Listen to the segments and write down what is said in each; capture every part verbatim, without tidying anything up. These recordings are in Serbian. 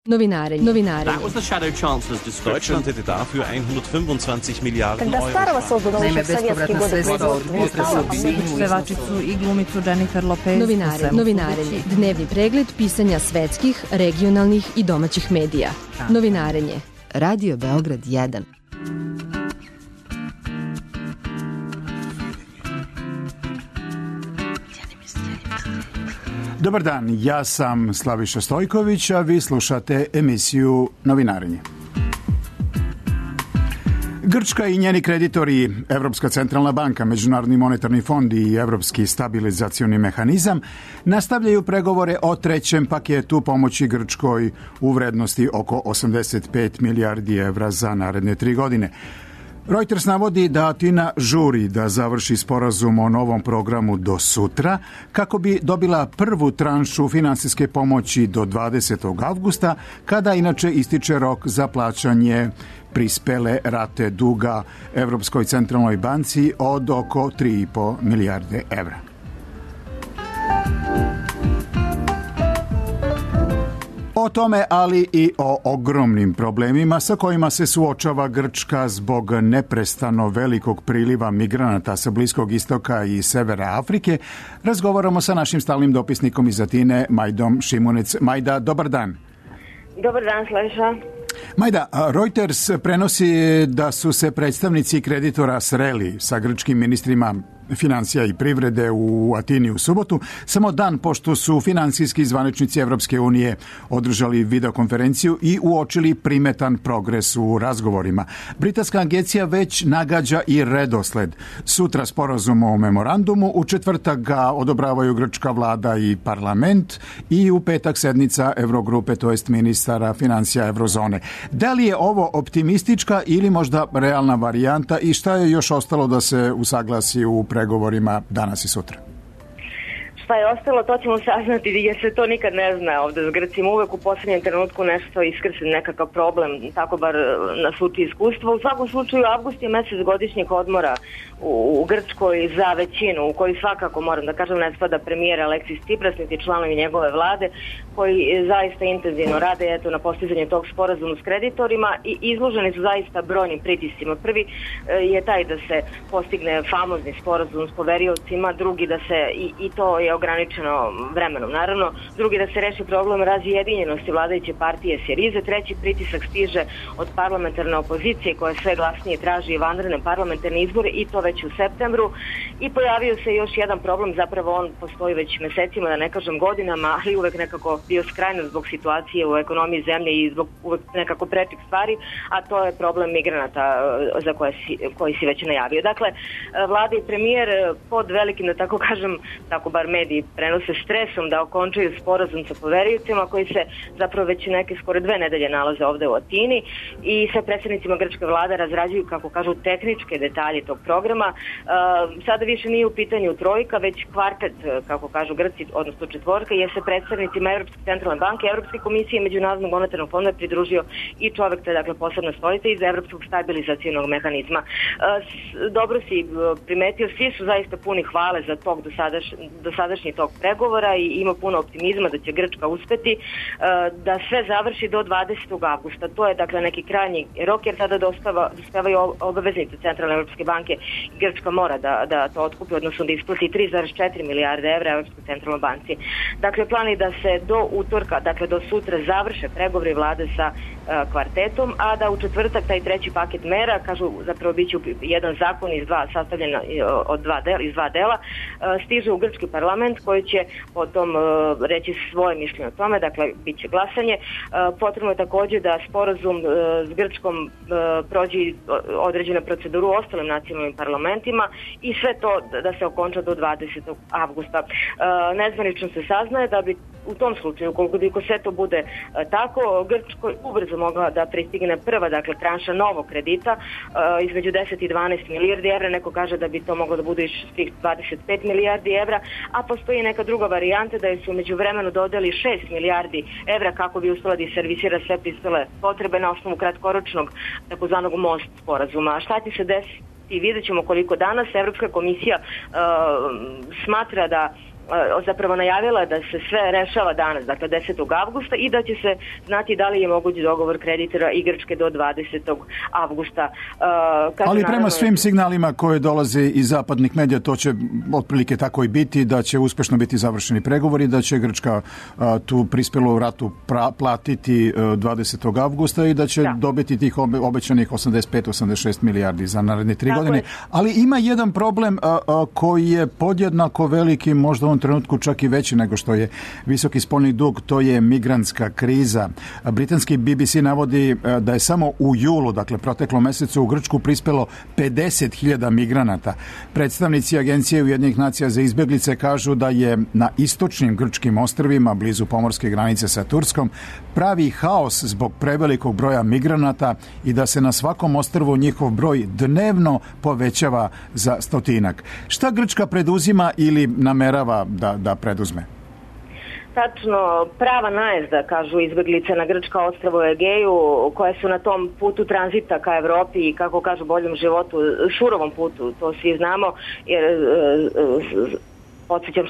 Novinarenje. Novinarenje. That was the shadow chancellor's description. Deutschland hätte dafür hundertfünfundzwanzig Milliarden Когда старого создано Naime, еще в советские bespovratna годы sredstva od производства. pevačicu i glumicu Jennifer Lopez. Novinarenje. Novinarenje. Dnevni pregled pisanja svetskih, regionalnih i domaćih medija. Novinarenje. Radio Beograd jedan. Dobar dan, ja sam Slaviša Stojković, a vi slušate emisiju Novinarenje. Grčka i njeni kreditori, Evropska centralna banka, Međunarodni monetarni fond i Evropski stabilizacioni mehanizam nastavljaju pregovore o trećem paketu pomoći Grčkoj u vrednosti oko osamdeset pet milijardi evra za naredne tri godine. Reuters navodi da Atina žuri da završi sporazum o novom programu do sutra kako bi dobila prvu tranšu finansijske pomoći do dvadesetog avgusta, kada inače ističe rok za plaćanje prispele rate duga Evropskoj centralnoj banci od oko tri i po milijarde evra. O tome, ali i o ogromnim problemima sa kojima se suočava Grčka zbog neprestano velikog priliva migranata sa Bliskog istoka i severa Afrike, razgovaramo sa našim stalnim dopisnikom iz Atine, Majdom Šimunec. Majda, dobar dan. Dobar dan, Slaviša. Majda, Reuters prenosi da su se predstavnici kreditora sreli sa grčkim ministrima financija i privrede u Atini u subotu, samo dan pošto su finansijski zvaničnici Evropske unije održali videokonferenciju i uočili primetan progres u razgovorima. Britanska agencija već nagađa i redosled. Sutra sporazum o memorandumu, u četvrtak ga odobravaju grčka vlada i parlament i u petak sednica Evrogrupe, to jest ministara financija Evrozone. Da li je ovo optimistička ili možda realna varijanta i šta je još ostalo da se usaglasi u pregovorima danas i sutra? Šta je ostalo, to ćemo saznati jer se to nikad ne zna ovde s Grcima. Uvek u poslednjem trenutku nešto iskrse nekakav problem, tako bar nas uči iskustvo. U svakom slučaju, avgust je mesec godišnjeg odmora u, u Grčkoj za većinu, u kojoj svakako, moram da kažem, ne spada premijer Aleksis Tsipras, niti članovi njegove vlade, koji zaista intenzivno rade eto, na postizanju tog sporazuma s kreditorima i izloženi su zaista brojnim pritiscima. Prvi je taj da se postigne famozni sporazum s poveriocima, drugi da se, i, i to je ograničeno vremenom, naravno, drugi da se reši problem razjedinjenosti vladajuće partije Sirize, treći pritisak stiže od parlamentarne opozicije koja sve glasnije traži vanredne parlamentarne izbore i to već u septembru i pojavio se još jedan problem, zapravo on postoji već mesecima, da ne kažem godinama, ali uvek nekako bio skrajno zbog situacije u ekonomiji zemlje i zbog uvek nekako prečih stvari, a to je problem migranata za koje si, koji si već najavio. Dakle, vlada i premijer pod velikim, da tako kažem, tako bar mediji prenose stresom da okončaju sporazum sa poveriocima koji se zapravo već neke skoro dve nedelje nalaze ovde u Atini i sa predsjednicima grčke vlade razrađuju, kako kažu, tehničke detalje tog programa. Sada više nije u pitanju trojka, već kvartet, kako kažu Grci, odnosno četvorka, jer se predstavnicima Evropske centralne banke, Evropske komisije i Međunarodnog monetarnog fonda pridružio i čovek, to je dakle posebna stolica iz Evropskog stabilizacionog mehanizma. Dobro si primetio, svi su zaista puni hvale za tog dosadaš, dosadašnji tog pregovora i ima puno optimizma da će Grčka uspeti da sve završi do dvadesetog avgusta. To je dakle neki krajnji rok jer tada dostava, dostavaju obaveznice Centralne Evropske banke i Grčka mora da, da to otkupi, odnosno da isplati tri zarez četiri milijarde evra Evropskoj centralnoj banci. Dakle, plan je da se do utorka, dakle do sutra završe pregovori vlade sa uh, kvartetom, a da u četvrtak taj treći paket mera, kažu zapravo bit će jedan zakon iz dva, sastavljen od dva dela, iz dva dela, uh, stiže u grčki parlament koji će potom uh, reći svoje mišljenje o tome, dakle bit će glasanje. Uh, potrebno je takođe da sporazum uh, s Grčkom uh, prođe određena proceduru u ostalim nacionalnim parlamentima i sve to da se okonča do dvadesetog avgusta. Uh, nezvanično se saznaje da bi u tom slučaju, ukoliko sve to bude uh, tako, Grčkoj ubrzo mogla da pristigne prva, dakle, tranša novog kredita uh, između deset i dvanaest milijardi evra. Neko kaže da bi to moglo da bude i svih dvadeset pet milijardi evra, a postoji neka druga varijanta da je su među vremenu dodali šest milijardi evra kako bi uspela da servisira sve prispele potrebe na osnovu kratkoročnog takozvanog most sporazuma. A šta će se desiti? I vidjet ćemo koliko danas Evropska komisija uh, smatra da zapravo najavila da se sve rešava danas, dakle desetog avgusta, i da će se znati da li je moguć dogovor kreditora i Grčke do dvadesetog avgusta. Kažu, ali prema naravno, svim signalima koje dolaze iz zapadnih medija, to će otprilike tako i biti, da će uspešno biti završeni pregovori, da će Grčka a, tu prispelu ratu pra, platiti a, dvadesetog avgusta i da će da. dobiti tih obe, obećanih osamdeset pet do osamdeset šest milijardi za naredne tri tako godine. Je. Ali ima jedan problem a, a, koji je podjednako veliki, možda u ovom trenutku čak i veći nego što je visoki spoljni dug, to je migrantska kriza. Britanski B B C navodi a, da je samo u julu, dakle proteklom mesecu, u Grčku prispelo pedeset hiljada migranata. Predstavnici Agencije Ujedinjenih nacija za izbeglice kažu da je na istočnim grčkim ostrvima, blizu pomorske granice sa Turskom, pravi haos zbog prevelikog broja migranata i da se na svakom ostrvu njihov broj dnevno povećava za stotinak. Šta Grčka preduzima ili namerava da, da preduzme? Tačno, prava najezda, kažu izbeglice na grčka ostrvo u Egeju, koje su na tom putu tranzita ka Evropi i, kako kažu, boljem životu, surovom putu, to svi znamo, jer podsjećam,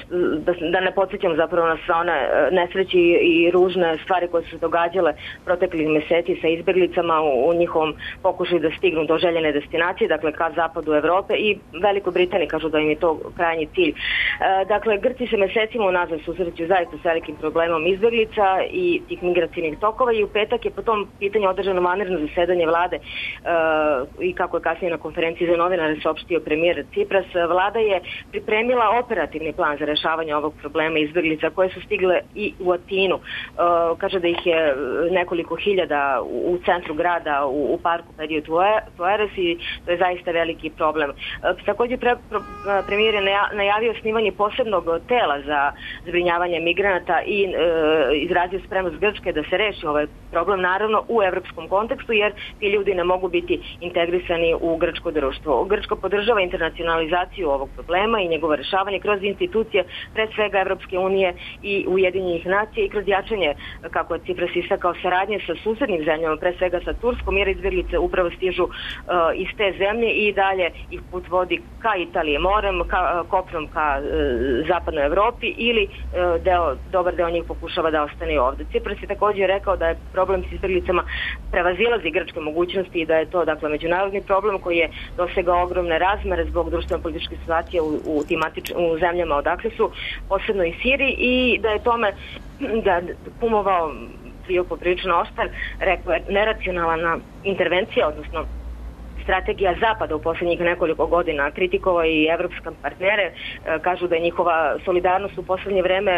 da, da ne podsjećam zapravo na sve one nesreći i ružne stvari koje su se događale proteklih meseci sa izbeglicama u, u njihovom pokušaju da stignu do željene destinacije, dakle ka zapadu Evrope, i Velikoj Britaniji kažu da im je to krajnji cilj. E, dakle, Grci se mesecima unazad susreću zaista s velikim problemom izbeglica i tih migracijnih tokova, i u petak je po tom pitanju održano vanredno zasedanje vlade e, i, kako je kasnije na konferenciji za novinare saopštio premijer Cipras, vlada je pripremila operativni plan za rešavanje ovog problema izbeglica koje su stigle i u Atinu. Uh, kaže da ih je nekoliko hiljada u, u centru grada, u, u parku Pedio Tueres, i to je zaista veliki problem. Uh, također pre, pro, premijer je najavio osnivanje posebnog tela za zbrinjavanje migranata i uh, izrazio spremnost Grčke da se reši ovaj problem, naravno u evropskom kontekstu, jer ti ljudi ne mogu biti integrisani u grčko društvo. Grčka podržava internacionalizaciju ovog problema i njegovo rešavanje kroz institucije, pre svega Evropske unije i Ujedinjenih nacija, i kroz jačanje, kako je Cipras istakao, saradnje sa susednim zemljama, pre svega sa Turskom, jer izbeglice upravo stižu uh, iz te zemlje i dalje ih put vodi ka Italije morem, ka, kopnom ka uh, zapadnoj Evropi, ili uh, deo, dobar deo njih pokušava da ostane ovde. Cipras je također rekao da je problem s izbeglicama prevazilazi grčke mogućnosti i da je to, dakle, međunarodni problem koji je dosegao ogromne razmere zbog društveno-političke situacije u, u, timatič, u zemljama odakle su, posebno i Siriji, i da je tome da kumovao bio poprilično oštar, rekao je neracionalna intervencija, odnosno strategija Zapada u posljednjih nekoliko godina, kritikovao i evropske partnere, kažu da je njihova solidarnost u posljednje vreme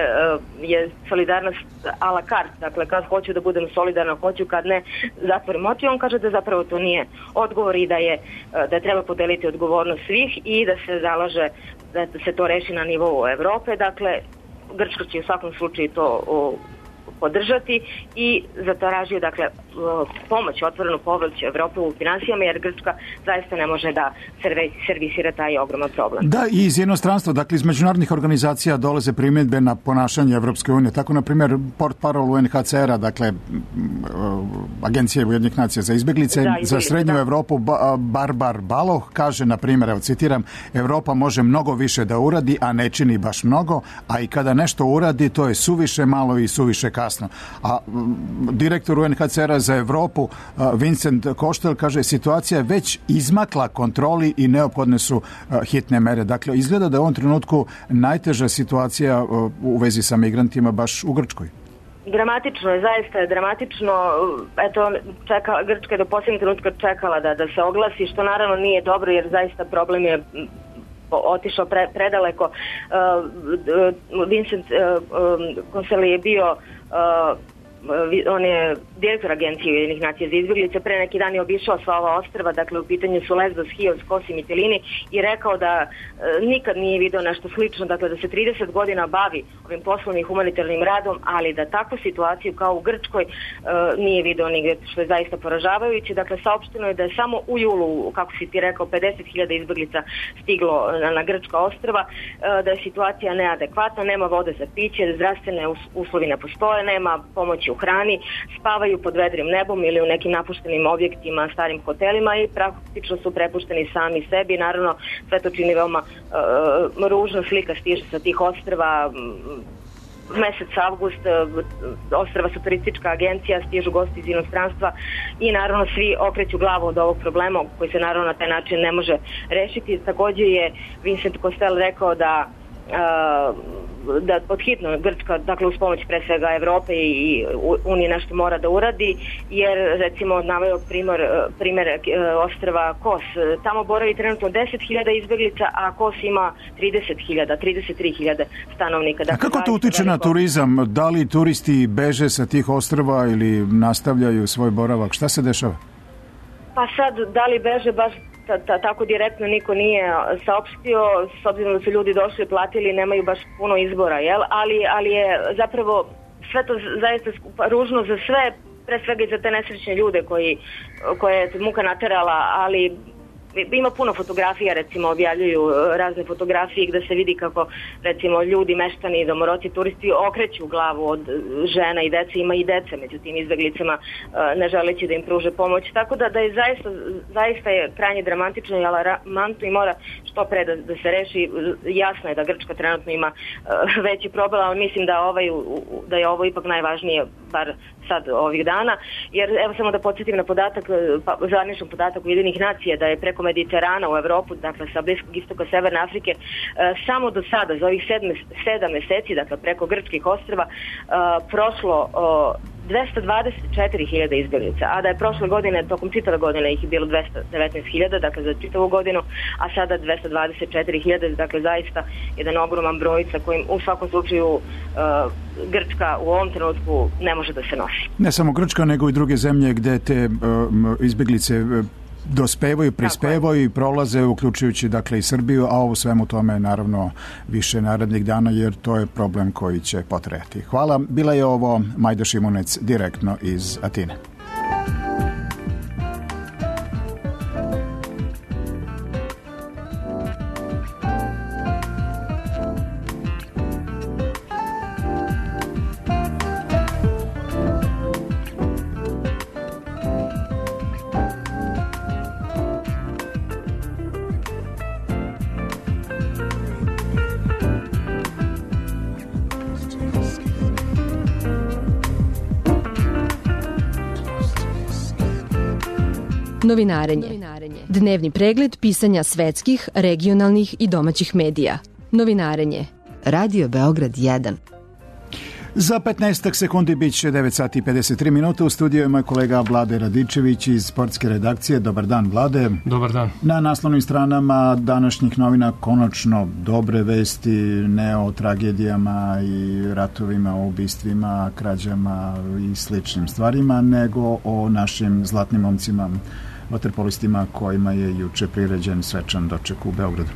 je solidarnost a la carte, dakle kad hoću da budem solidarna, hoću, kad ne zatvorim oči. On kaže da zapravo to nije odgovor i da je da treba podeliti odgovornost svih i da se zalaže da se to reši na nivou Evrope. Dakle, Grčka će u svakom slučaju to o, podržati i zatražio, dakle, pomoć, otvorenu pomoć Evrope u finansijama, jer Grčka zaista ne može da servisira taj ogroman problem. Da, i iz jednostranstva, dakle iz međunarodnih organizacija dolaze primjedbe na ponašanje Evropske unije. Tako, na primjer, portparol U N H C R-a, dakle Agencije Ujedinjenih nacija za izbeglice, da, za srednju da. Evropu, Barbar Baloh kaže, na primjer, evo citiram, Evropa može mnogo više da uradi, a ne čini baš mnogo, a i kada nešto uradi, to je suviše malo i suviše kasno. A direktor U N H C R-a za Evropu, Vincent Koštel, kaže, situacija je već izmakla kontroli i neophodne su hitne mere. Dakle, izgleda da je u ovom trenutku najteža situacija u vezi sa migrantima baš u Grčkoj. Dramatično je, zaista je dramatično. Eto, čeka, Grčka je do posljednjeg trenutka čekala da, da se oglasi, što naravno nije dobro, jer zaista problem je otišao pre, predaleko. Uh, Vincent uh, Konseli je bio uh, on je direktor Agencije Ujedinjenih nacija za izbeglice, pre neki dan je obišao sva ova ostrva, dakle u pitanju su Lesbos, Chios, Kos i Mitilini, i rekao da e, nikad nije video nešto slično, dakle da se trideset godina bavi ovim poslovnim humanitarnim radom, ali da takvu situaciju kao u Grčkoj e, nije video nigde, što je zaista poražavajuće. Dakle, saopšteno je da je samo u julu, kako si ti rekao, pedeset hiljada izbeglica stiglo na, na grčka ostrva, e, da je situacija neadekvatna, nema vode za piće, zdravstvene uslovi ne postoje, nema pomoći u hrani, spavaju pod vedrim nebom ili u nekim napuštenim objektima, starim hotelima i praktično su prepušteni sami sebi. Naravno, sve to čini veoma uh, ružna slika stiže sa tih ostrva. Mesec avgust, ostrva su turistička agencija, stižu gosti iz inostranstva i naravno svi okreću glavu od ovog problema koji se naravno na taj način ne može rešiti. Takođe je Vincent Costello rekao da uh, da podhitno Grčka, dakle uz pomoć pre svega Evrope i Unije nešto mora da uradi, jer recimo naveo primjer, primjer ostrva Kos. Tamo boravi trenutno deset hiljada izbeglica, a Kos ima trideset hiljada, trideset tri hiljade stanovnika. Dakle, a kako to utiče na turizam? Da li turisti beže sa tih ostrva ili nastavljaju svoj boravak? Šta se dešava? Pa sad, da li beže baš Ta, ta, tako direktno niko nije saopštio, s obzirom da su ljudi došli i platili, nemaju baš puno izbora, jel? Ali, ali je zapravo sve to zaista ružno za sve, pre svega i za te nesrećne ljude koji, koje je muka naterala, ali ima puno fotografija, recimo objavljuju razne fotografije gde se vidi kako recimo ljudi, meštani, domoroci, turisti okreću glavu od žena i dece, ima i dece među tim izbeglicama ne želeći da im pruže pomoć, tako da, da je zaista, zaista je krajnje dramatično i alarmantno i mora što pre da, da se reši. Jasno je da Grčka trenutno ima veći problem, ali mislim da, ovaj, da je ovo ipak najvažnije, bar sad ovih dana, jer evo samo da podsjetim na podatak, pa, zvaničan podatak Ujedinjenih nacija da je preko Mediterana u Evropu, dakle sa Bliskog istoka Severne Afrike, e, samo do sada, za ovih sedme, sedam meseci, dakle preko grčkih ostrva, e, prošlo o, dvesta dvadeset četiri hiljade izbjeglica, a da je prošle godine, tokom čitave godine ih je bilo dvesta devetnaest hiljada, dakle za čitavu godinu, a sada dvesta dvadeset četiri hiljade, dakle zaista jedan ogroman broj sa kojim u svakom slučaju uh, Grčka u ovom trenutku ne može da se nosi. Ne samo Grčka, nego i druge zemlje gde te uh, izbjeglice uh, dospevaju, prispevaju i prolaze, uključujući dakle i Srbiju, a ovo svemu tome naravno više narednih dana, jer to je problem koji će potrajati. Hvala. Bila je ovo Majda Šimunec direktno iz Atine. Novinarenje. Dnevni pregled pisanja svetskih, regionalnih i domaćih medija. Novinarenje. Radio Beograd jedan. Za petnaest sekundi bit će devet sati i pedeset tri minuta. U studiju je moj kolega Vlade Radičević iz sportske redakcije. Dobar dan, Vlade. Dobar dan. Na naslovnim stranama današnjih novina konačno dobre vesti, ne o tragedijama i ratovima, o ubistvima, krađama i sličnim stvarima, nego o našim zlatnim momcima, vaterpolistima kojima je juče priređen svečan doček u Beogradu.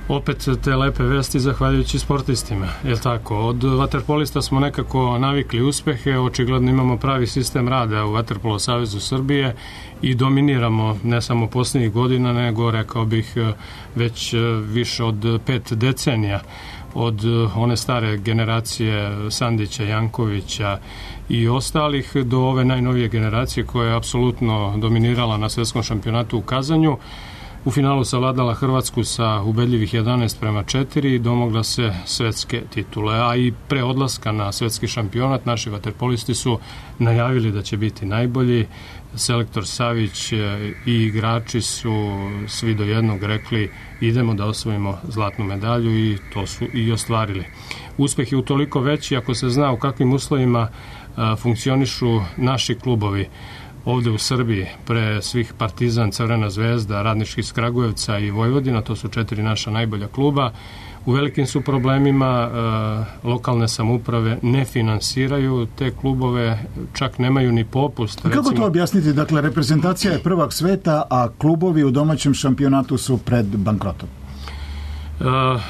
Opet te lepe vesti zahvaljujući sportistima, je li tako? Od vaterpolista smo nekako navikli uspehe, očigledno imamo pravi sistem rada u Vaterpolo Savezu Srbije i dominiramo ne samo posljednjih godina, nego rekao bih već više od pet decenija. Od one stare generacije Sandića, Jankovića i ostalih do ove najnovije generacije koja je apsolutno dominirala na svetskom šampionatu u Kazanju. U finalu savladala Hrvatsku sa ubedljivih jedanaest prema četiri i domogla se svetske titule. A i pre odlaska na svetski šampionat naši vaterpolisti su najavili da će biti najbolji. Selektor Savić i igrači su svi do jednog rekli idemo da osvojimo zlatnu medalju i to su i ostvarili. Uspeh je utoliko veći ako se zna u kakvim uslovima a, funkcionišu naši klubovi. Ovde u Srbiji, pre svih Partizan, Crvena zvezda, Radnički iz Kragujevca i Vojvodina, to su četiri naša najbolja kluba. U velikim su problemima, e, lokalne samouprave ne finansiraju te klubove, čak nemaju ni popust. Kako recimo, to objasniti? Dakle, reprezentacija je prvak sveta, a klubovi u domaćem šampionatu su pred bankrotom. E,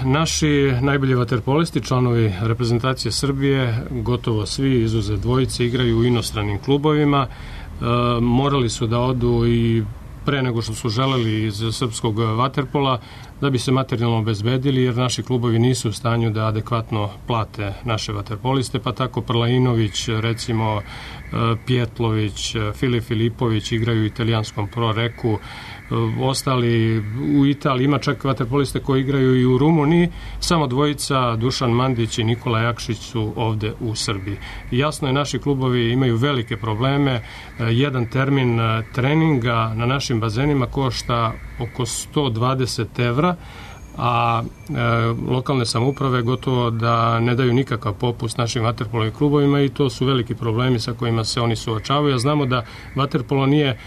naši najbolji vaterpolisti, članovi reprezentacije Srbije, gotovo svi izuzev dvojice, igraju u inostranim klubovima. E, morali su da odu i pre nego što su želeli iz srpskog vaterpola, da bi se materijalno obezbedili, jer naši klubovi nisu u stanju da adekvatno plate naše vaterpoliste, pa tako Prlainović, recimo Pjetlović, Filip Filipović igraju u italijanskom Pro Reku, ostali u Italiji, ima čak vaterpoliste koji igraju i u Rumuniji, samo dvojica, Dušan Mandić i Nikola Jakšić su ovde u Srbiji. Jasno je, naši klubovi imaju velike probleme, jedan termin treninga na našim bazenima košta oko sto dvadeset evra, a e, lokalne samouprave gotovo da ne daju nikakav popust našim vaterpolovim klubovima i to su veliki problemi sa kojima se oni suočavaju. A znamo da vaterpolo nije e,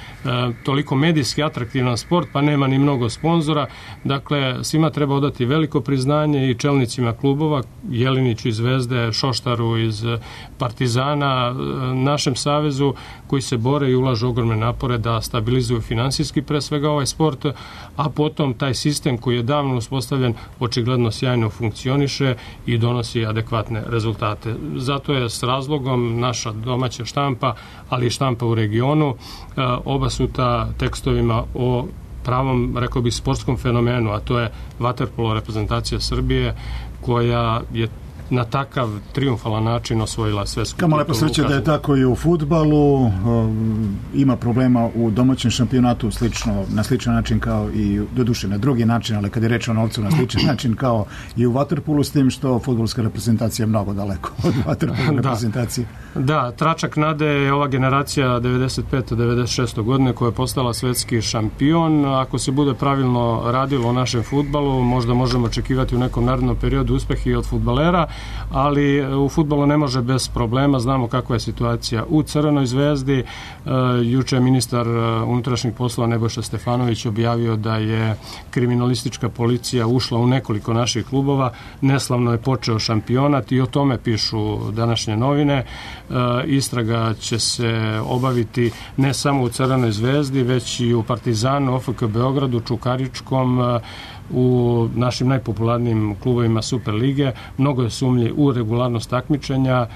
toliko medijski atraktivan sport, pa nema ni mnogo sponzora. Dakle, svima treba odati veliko priznanje i čelnicima klubova, Jeliniću iz Zvezde, Šoštaru iz Partizana, našem savezu, koji se bore i ulažu ogromne napore da stabilizuju finansijski pre svega ovaj sport, a potom taj sistem koji je davno uspostavljen očigledno sjajno funkcioniše i donosi adekvatne rezultate. Zato je s razlogom naša domaća štampa, ali i štampa u regionu, obasuta tekstovima o pravom, rekao bih, sportskom fenomenu, a to je vaterpolo reprezentacija Srbije, koja je na takav triumfalan način osvojila svetsku titulu. Kamo lepo sreće da je tako i u fudbalu. Ima problema u domaćem šampionatu slično, na sličan način kao i, doduše na drugi način, ali kad je reč o novcu, na sličan način kao i u vaterpolu, s tim što fudbalska reprezentacija je mnogo daleko od vaterpolu reprezentacije. Da, tračak nade je ova generacija devedeset pete devedeset šeste godine koja je postala svetski šampion. Ako se bude pravilno radilo o našem fudbalu, možda možemo očekivati u nekom narednom periodu uspeh i od fudbalera, ali u fudbalu ne može bez problema. Znamo kakva je situacija u Crvenoj zvezdi. E, juče je ministar unutrašnjih poslova Nebojša Stefanović objavio da je kriminalistička policija ušla u nekoliko naših klubova. Neslavno je počeo šampionat i o tome pišu današnje novine. E, istraga će se obaviti ne samo u Crvenoj zvezdi, već i u Partizanu, O F K Beogradu, Čukaričkom, u našim najpopularnijim klubovima Super lige. Mnogo je sumnji u regularnost takmičenja,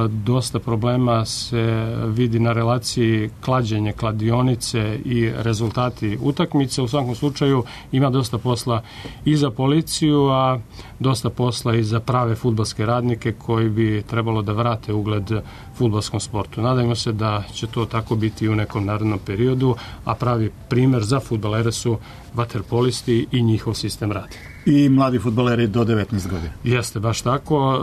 dosta problema se vidi na relaciji klađenje, kladionice i rezultati utakmice. U svakom slučaju ima dosta posla i za policiju, a dosta posla i za prave fudbalske radnike koji bi trebalo da vrate ugled fudbalskom sportu. Nadajmo se da će to tako biti u nekom narednom periodu, a pravi primer za fudbalere su vaterpolisti i njihov sistem rada. I mladi fudbaleri do devetnaest godina. Jeste, baš tako.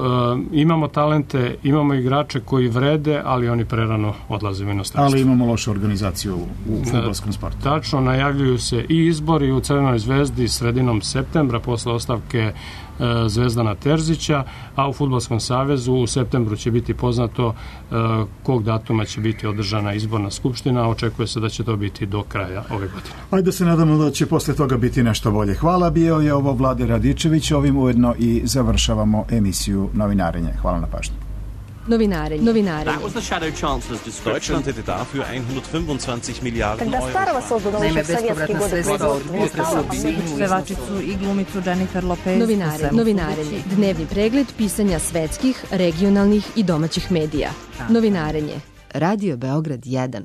E, imamo talente, imamo igrače koji vrede, ali oni prerano odlaze u inostranstvo. Ali imamo lošu organizaciju u fudbalskom sportu. Tačno, najavljuju se i izbori u Crvenoj zvezdi sredinom septembra posle ostavke e, Zvezdana Terzića, a u Fudbalskom savezu u septembru će biti poznato e, kog datuma će biti održana izborna skupština. Očekuje se da će to biti do kraja ove godine. Ajde da se nadamo da će posle toga biti nešto bolje. Hvala, bio je ovo Vlade Radičević. Ovim ujedno i završavamo emisiju Novinarenje. Hvala na pažnju. Novinarenje. Novinarenje. That was the Shadow Chancellor's description. Deutschland hätte dafür hundertfünfundzwanzig Milliarden Когда старого создано Naime, еще в советские годы производства. Pevačicu i glumicu Jennifer Lopez. Novinarenje. Novinarenje. Dnevni pregled pisanja svetskih, regionalnih i domaćih medija. Novinarenje. Radio Beograd jedan.